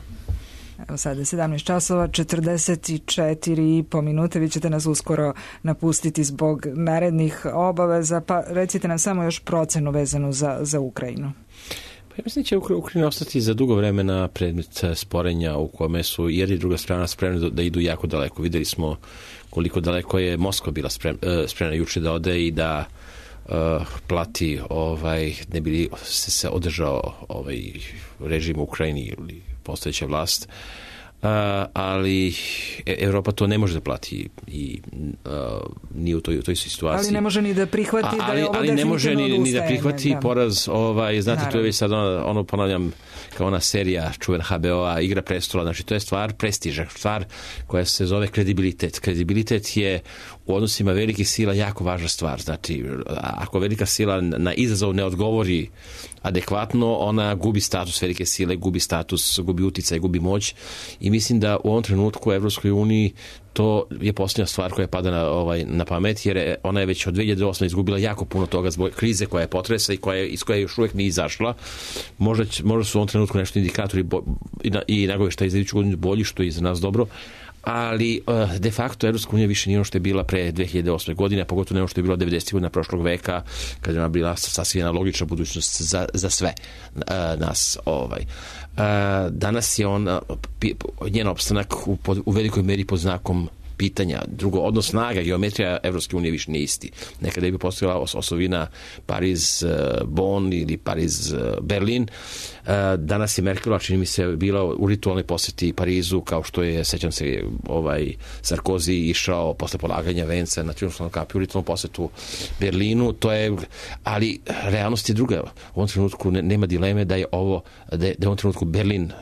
Evo sada je 17 časova, 44,5 minute, vi ćete nas uskoro napustiti zbog narednih obaveza, pa recite nam samo još procenu vezanu za Ukrajinu. Ja mislim da će Ukrajina ostati za dugo vremena predmet sporenja u kome su jedna i druga strana spremni da idu jako daleko. Videli smo koliko daleko je Moskva bila spremna juče da ode i da plati ne bi se održao režim u Ukrajini ili postojeća vlast. ali Evropa to ne može da plati i nije u toj situaciji. Ali ne može ni da prihvati da je ovo ali ne može ni da prihvati poraz, znate, naravno. to je već sad ono ponavljam, kao ona serija čuvena HBO-a, Igra prestola, znači to je stvar prestiža, stvar koja se zove kredibilitet. Kredibilitet je u odnosima velikih sila jako važna stvar. Znači, ako velika sila na izazov ne odgovori adekvatno, ona gubi status velike sile, gubi status, gubi uticaj, gubi moć i mislim da u ovom trenutku u Evropskoj uniji to je posljednja stvar koja pada na pamet, jer ona je već od 2008. izgubila jako puno toga zbog krize koja je potresa i iz koje još uvijek nije izašla. Možda su u ovom trenutku nešto indikatori i nagoveštaji za iduću godinu bolji, što je za nas dobro, ali de facto Evropska unija više nije ono što je bila pre 2008. godine, a pogotovo ne ono što je bilo 90. godina prošlog veka, kad je ona bila sasvim jedna logična budućnost za sve nas. Danas je njen opstanak u velikoj meri pod znakom pitanja. Drugo, odnos snaga, geometrija Evropske unije više nije isti. Nekada je bi postojala osovina Pariz-Bonn ili Pariz-Berlin. Danas je Merkelova, čini mi se, bila u ritualnoj poseti Parizu, kao što je, sećam se, Sarkozy išao posle polaganja venca na triumfalnom kapiju u ritualnom posetu Berlinu. Ali realnost je druga. U ovom trenutku nema dileme da je u ovom trenutku Berlin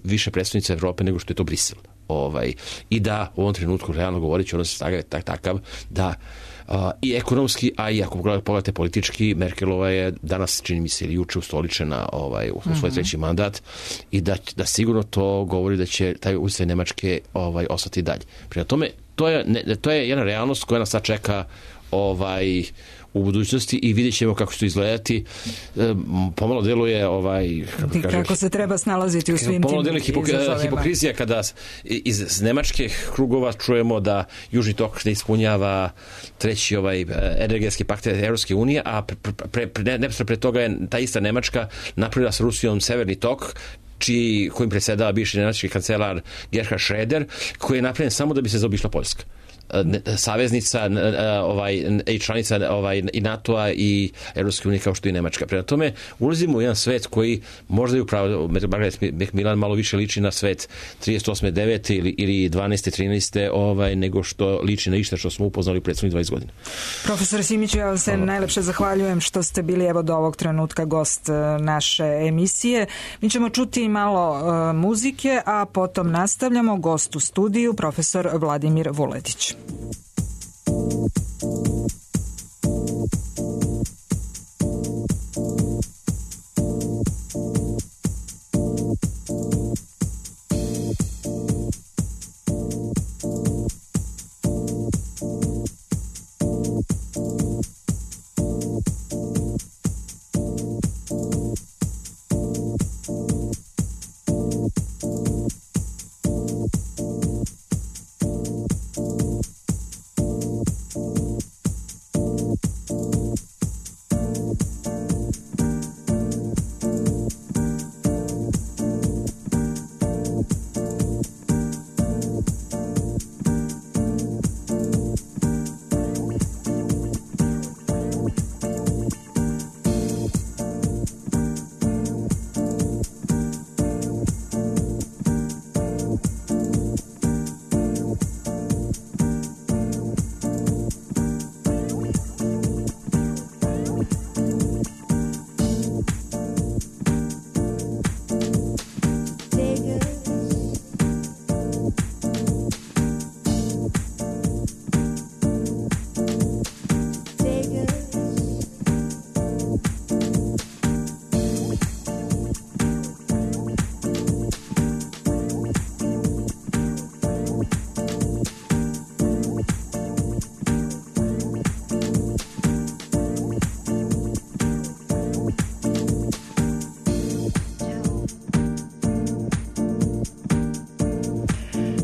više predstavnica Evrope nego što je to Brisel. I da u ovom trenutku, realno govoreći, ono se staga takav da i ekonomski, a i ako pogledate politički, Merkelova je danas, čini mi se, ili juče ustoličena u svoj treći mandat i da sigurno to govori da će taj utjecaj Nemačke ostati dalje. Prema tome, to je jedna realnost koja nas sad čeka u budućnosti i vidjet ćemo kako će to izgledati. Pomalo deluje kako se treba snalaziti u svim tim pomalo deluje hipokrizija kada iz nemačkih krugova čujemo da Južni tok ne ispunjava treći energetski pakt Evropske unije, a neposredno pre toga je ta ista Nemačka napravila sa Rusijom Severni tok, kojim predsjedava bivši nemački kancelar Gerhard Schröder, koji je napravljen samo da bi se zaobišla Poljska. Saveznica i članica i NATO-a i Evropske unije kao što je Nemačka. Prema tome, ulazimo u jedan svet koji možda je upravo Margaret Macmillan malo više liči na svet 38. 9. ili 12. 13. Nego što liči na išta što smo upoznali prethodnih 20 godina. Profesor Simiću, ja vam se najlepše zahvaljujem što ste bili do ovog trenutka gost naše emisije. Mi ćemo čuti malo muzike, a potom nastavljamo. Gost u studiju, profesor Vladimir Vuletić.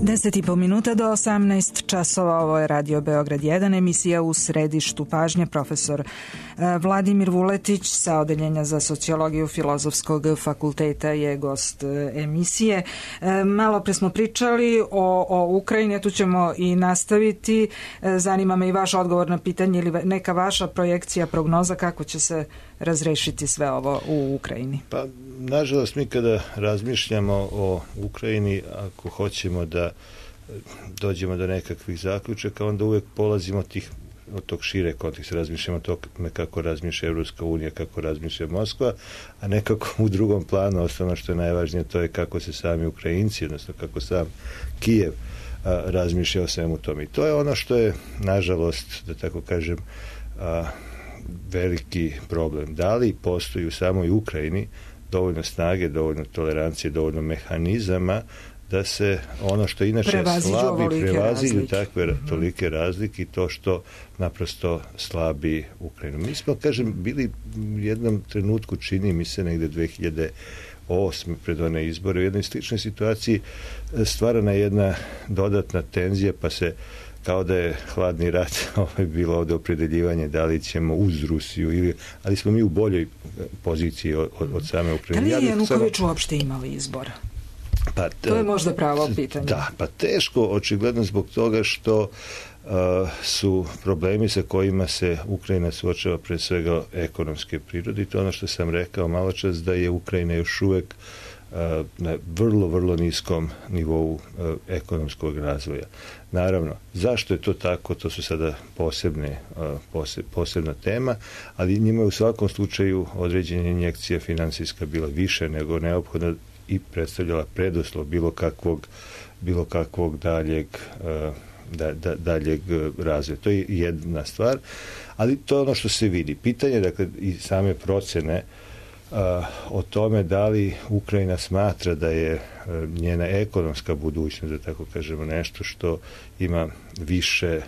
Deset i po minuta do 18 časova, ovo je Radio Beograd 1, emisija u središtu pažnje, profesor Vladimir Vuletić sa Odeljenja za sociologiju Filozofskog fakulteta je gost emisije. Malo pre smo pričali o Ukrajini, tu ćemo i nastaviti. Zanima me i vaš odgovor na pitanje ili neka vaša projekcija, prognoza kako će se razrešiti sve ovo u Ukrajini. Pa, nažalost, mi kada razmišljamo o Ukrajini, ako hoćemo da dođemo do nekakvih zaključaka, onda uvek polazimo od tog šire konteksta, razmišljamo o tome kako razmišlja Evropska unija, kako razmišlja Moskva, a nekako u drugom planu, osnovno što je najvažnije, to je kako se sami Ukrajinci, odnosno kako sam Kijev razmišlja o svemu tome. I to je ono što je, nažalost, da tako kažem, veliki problem. Da li postoji u samoj Ukrajini dovoljno snage, dovoljno tolerancije, dovoljno mehanizama da se ono što inače slabi prevaziđu takve tolike razlike i to što naprosto slabi Ukrajinu. Mi smo, kažem, bili u jednom trenutku, čini mi se negde 2008. pred one izbore, u jednoj sličnoj situaciji stvarana jedna dodatna tenzija, pa se kao da je hladni rat bilo ovde opredeljivanje da li ćemo uz Rusiju, ali smo mi u boljoj poziciji od same Ukrajine. Da li je Januković uopšte imao izbora? Pa, to je možda pravo pitanje. Da, pa teško, očigledno zbog toga što su problemi sa kojima se Ukrajina suočava pre svega ekonomske prirode i to ono što sam rekao malo čas da je Ukrajina još uvek na vrlo, vrlo niskom nivou ekonomskog razvoja. Naravno, zašto je to tako, to su sada posebna tema, ali njima je u svakom slučaju određena injekcija finansijska bila više nego neophodna i predstavljala preduslov bilo kakvog daljeg razvoja. To je jedna stvar, ali to je ono što se vidi. Pitanje, dakle, i same procene o tome da li Ukrajina smatra da je njena ekonomska budućnost, da tako kažemo, nešto što ima više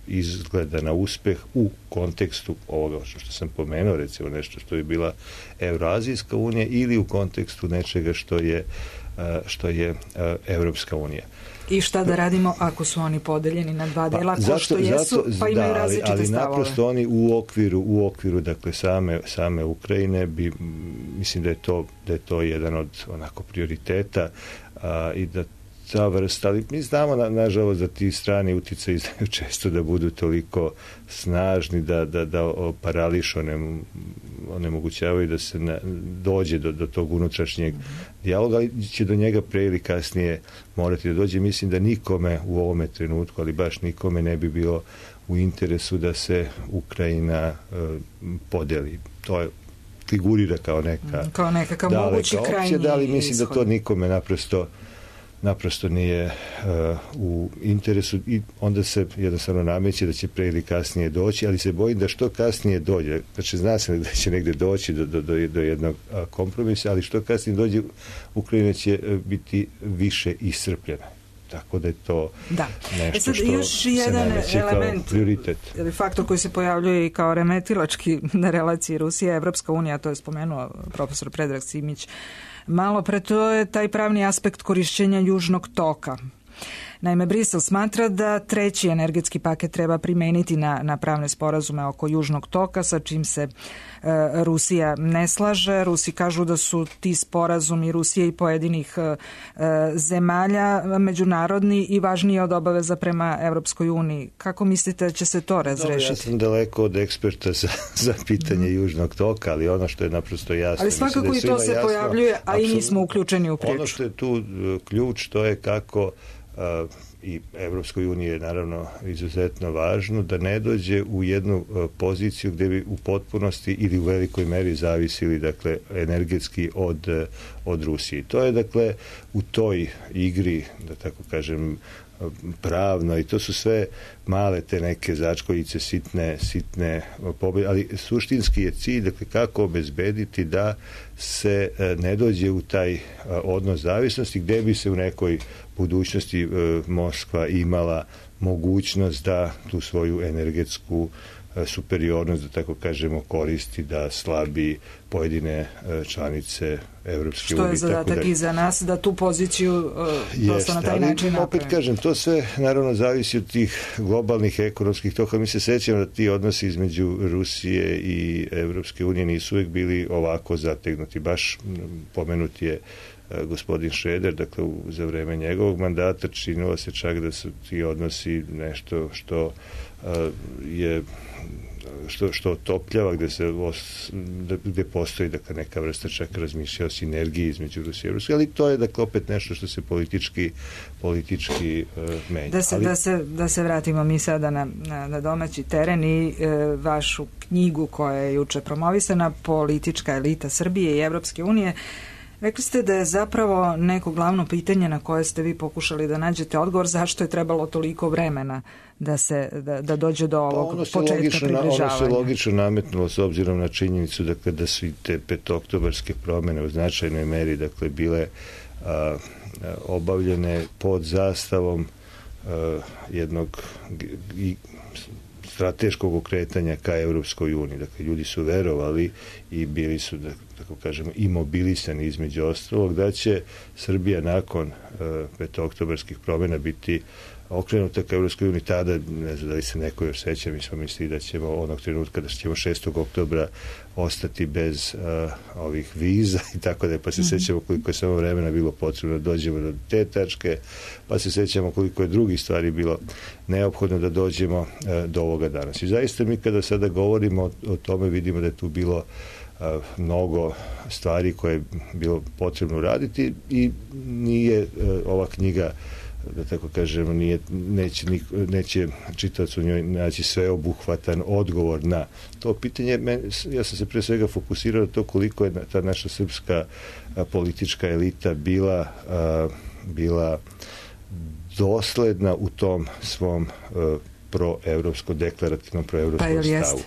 izgleda na uspeh u kontekstu ovoga što sam pomenuo, recimo nešto što je bila Evroazijska unija ili u kontekstu nečega što je Evropska unija. I šta da radimo ako su oni podeljeni na dva dela, ko što jesu, pa imaju različite stavove. Ali naprosto oni u okviru dakle, same Ukrajine mislim da je to jedan od onako prioriteta i da ta vrsta, ali mi znamo nažalost da ti strani uticaji znaju često da budu toliko snažni da parališu, onemogućavaju da se dođe do tog unutrašnjeg dijaloga, ali će do njega pre ili kasnije morati da dođe. Mislim da nikome u ovome trenutku, ali baš nikome ne bi bilo u interesu da se Ukrajina podeli. To je figurira kao nekakav mogući krajnji ishod. Ali mislim da to nikome naprosto nije u interesu i onda se jednostavno nameće da će pre ili kasnije doći, ali se bojim da što kasnije dođe, znači zna se da će negde doći do jednog kompromisa, ali što kasnije dođe Ukrajina će biti više iscrpljena. Tako da je to nešto što se nameće kao prioritet. Faktor koji se pojavljuje i kao remetilački na relaciji Rusija-Evropska unija, to je spomenuo profesor Predrag Simić malo pre, to je taj pravni aspekt korišćenja Južnog toka. Naime, Brisel smatra da treći energetski paket treba primeniti na pravne sporazume oko Južnog toka, sa čim se Rusija ne slaže. Rusi kažu da su ti sporazumi Rusije i pojedinih zemalja međunarodni i važniji od obaveza prema Evropskoj uniji. Kako mislite da će se to razrešiti? Ja sam daleko od eksperta za pitanje Južnog toka, ali ono što je naprosto jasno. Ali svakako i to se pojavljuje, a i mi smo uključeni u priču. Ono što je tu ključ, to je kako i Evropskoj uniji je naravno izuzetno važno da ne dođe u jednu poziciju gde bi u potpunosti ili u velikoj meri zavisili dakle energetski od Rusije. To je dakle u toj igri, da tako kažem, pravno i to su sve male te neke začkoljice, sitne pobjede, ali suštinski je cilj, dakle, kako obezbediti da se ne dođe u taj odnos zavisnosti gde bi se u nekoj budućnosti Moskva imala mogućnost da tu svoju energetsku superiornost, da tako kažemo, koristi da slabi pojedine članice Evropske unije. Što je zadatak i za nas da tu poziciju prosto na taj način napravimo. Opet kažem, to sve naravno zavisi od tih globalnih ekonomskih toka. Mi se sećamo da ti odnosi između Rusije i Evropske unije nisu uvijek bili ovako zategnuti. Baš pomenut je gospodin Šreder, dakle za vreme njegovog mandata činilo se čak da su ti odnosi nešto što je što otopljava, gde postoji dakle, neka vrsta čak razmišlja o sinergiji između Rusije i Rusije, ali to je dakle opet nešto što se politički menja. Da se vratimo mi sada na domaći teren i vašu knjigu koja je juče promovisana, Politička elita Srbije i Evropske unije. Rekli ste da je zapravo neko glavno pitanje na koje ste vi pokušali da nađete odgovor, zašto je trebalo toliko vremena da dođe do ovog početka približavanja. Ono se logično nametnulo s obzirom na činjenicu da su i te petooktobarske promene u značajnoj meri dakle bile obavljene pod zastavom jednog strateškog okretanja ka Evropskoj uniji. Dakle, ljudi su verovali i bili su, da tako kažemo, imobilisani između ostalog da će Srbija nakon petooktobarskih promjena biti okrenuta ka Evropskoj uniji. Tada, ne znam da li se neko još seća, mi smo mislili da ćemo onog trenutka da ćemo 6. oktobra ostati bez ovih viza i tako da, pa se sećamo koliko je samo vremena bilo potrebno da dođemo do te tačke, pa se sećamo koliko je drugih stvari bilo neophodno da dođemo do ovoga danas. I zaista mi kada sada govorimo o tome vidimo da je tu bilo mnogo stvari koje je bilo potrebno uraditi i nije ova knjiga, da tako kažem, neće čitac u njoj naći sveobuhvatan odgovor na to pitanje. Ja sam se pre svega fokusirao na to koliko je ta naša srpska politička elita bila dosledna u tom svom deklarativnom proevropskom stavu.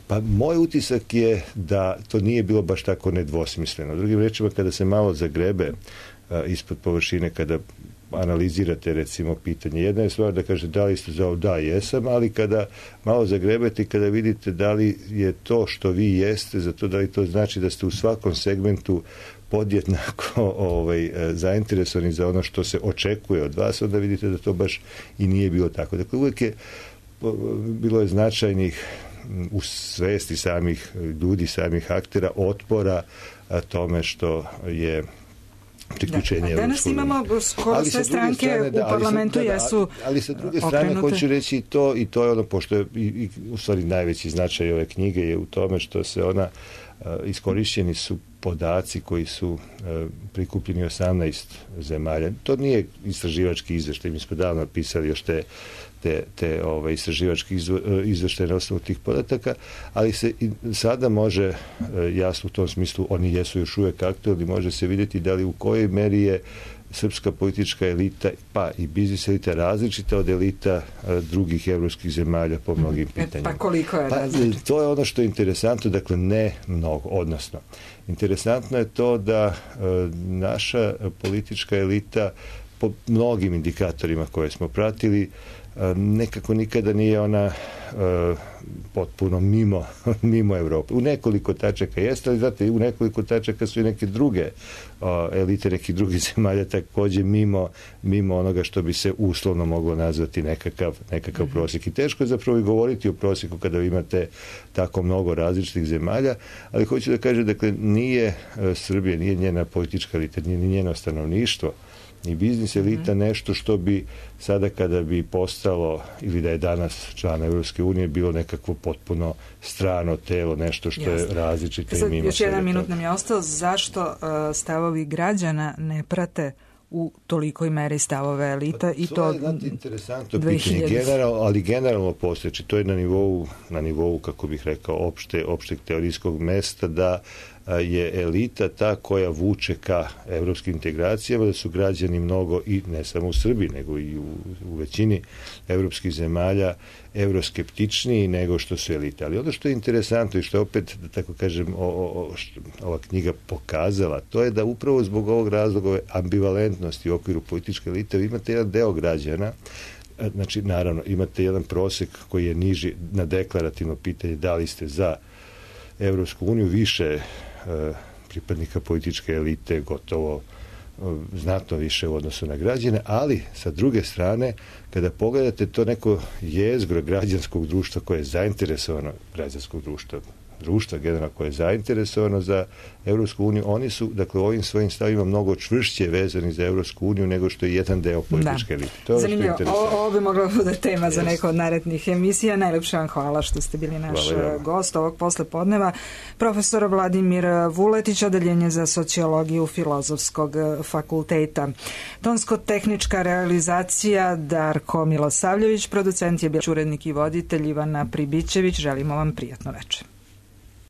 Pa moj utisak je da to nije bilo baš tako nedvosmisleno. Drugim rečima, kada se malo zagrebe ispod površine, kada analizirate recimo pitanje, jedna je stvar da kažete da li ste za ovo, da jesam, ali kada malo zagrebete i kada vidite da li je to što vi jeste, za to da li to znači da ste u svakom segmentu podjednako zainteresovani za ono što se očekuje od vas, onda vidite da to baš i nije bilo tako. Dakle, uvijek je bilo je značajnih u svesti samih ljudi, samih aktera, otpora tome što je priključenje. Danas imamo skoro sve stranke u parlamentu jesu ali sa druge strane hoću reći i to je ono, pošto je u stvari najveći značaj ove knjige je u tome što se ona iskorišćeni su podaci koji su prikupljeni 18 zemalja. To nije istraživački izveštaj, mi smo davno pisali još te istraživački izveštaje na osnovu tih podataka, ali se i sada može, jasno u tom smislu, oni jesu još uvijek aktualni, može se vidjeti da li u kojoj meri je srpska politička elita, pa i biznis elita različita od elita drugih evropskih zemalja po mnogim pitanjima. Pa koliko je različita? To je ono što je interesantno, dakle ne mnogo, odnosno interesantno je to da naša politička elita po mnogim indikatorima koje smo pratili nekako nikada nije ona potpuno mimo Evrope. U nekoliko tačaka jeste, ali znate, u nekoliko tačaka su i neke druge elite nekih drugih zemalja također mimo onoga što bi se uslovno moglo nazvati nekakav prosjek. I teško je zapravo i govoriti o prosjeku kada imate tako mnogo različitih zemalja, ali hoću da kažem, dakle, nije Srbija, nije njena politička elita, nije njeno stanovništvo, ni biznis elita nešto što bi sada kada bi postalo ili da je danas član Evropske unije bilo nekakvo potpuno strano telo, nešto što je različito i mimo. Još jedan minut nam je ostao. Zašto stavovi građana ne prate u tolikoj meri stavove elita i to je interesantno pitanje, ali generalno postojeći, to je na nivou, kako bih rekao, opšteg teorijskog mesta, da je elita ta koja vuče ka evropskim integracijama, da su građani mnogo, i ne samo u Srbiji, nego i u većini evropskih zemalja, evroskeptičniji nego što su elite. Ali ono što je interesantno i što je opet, da tako kažem, ova knjiga pokazala, to je da upravo zbog ovog razloga ambivalentnosti u okviru političke elite imate jedan deo građana Znači, naravno, imate jedan prosek koji je niži na deklarativno pitanje da li ste za Evropsku uniju, više pripadnika političke elite, gotovo znatno više u odnosu na građane, ali sa druge strane, kada pogledate to neko jezgro građanskog društva koje je zainteresovano, građanskog društva generalno koje je zainteresovano za Evropsku uniju, oni su, dakle, ovim svojim stavima mnogo čvršće vezani za Evropsku uniju nego što je jedan deo političke elite. To je zanimljivo. Ovo bi mogla bude tema za neko od narednih emisija. Najlepše vam hvala što ste bili naš gost ovog poslepodneva. Profesor Vladimir Vuletić, Odeljenje za sociologiju Filozofskog fakulteta. Tonsko-tehnička realizacija Darko Milosavljević, producent je bio urednik i voditelj Ivana Pribićević. Želimo vam prijatno večer.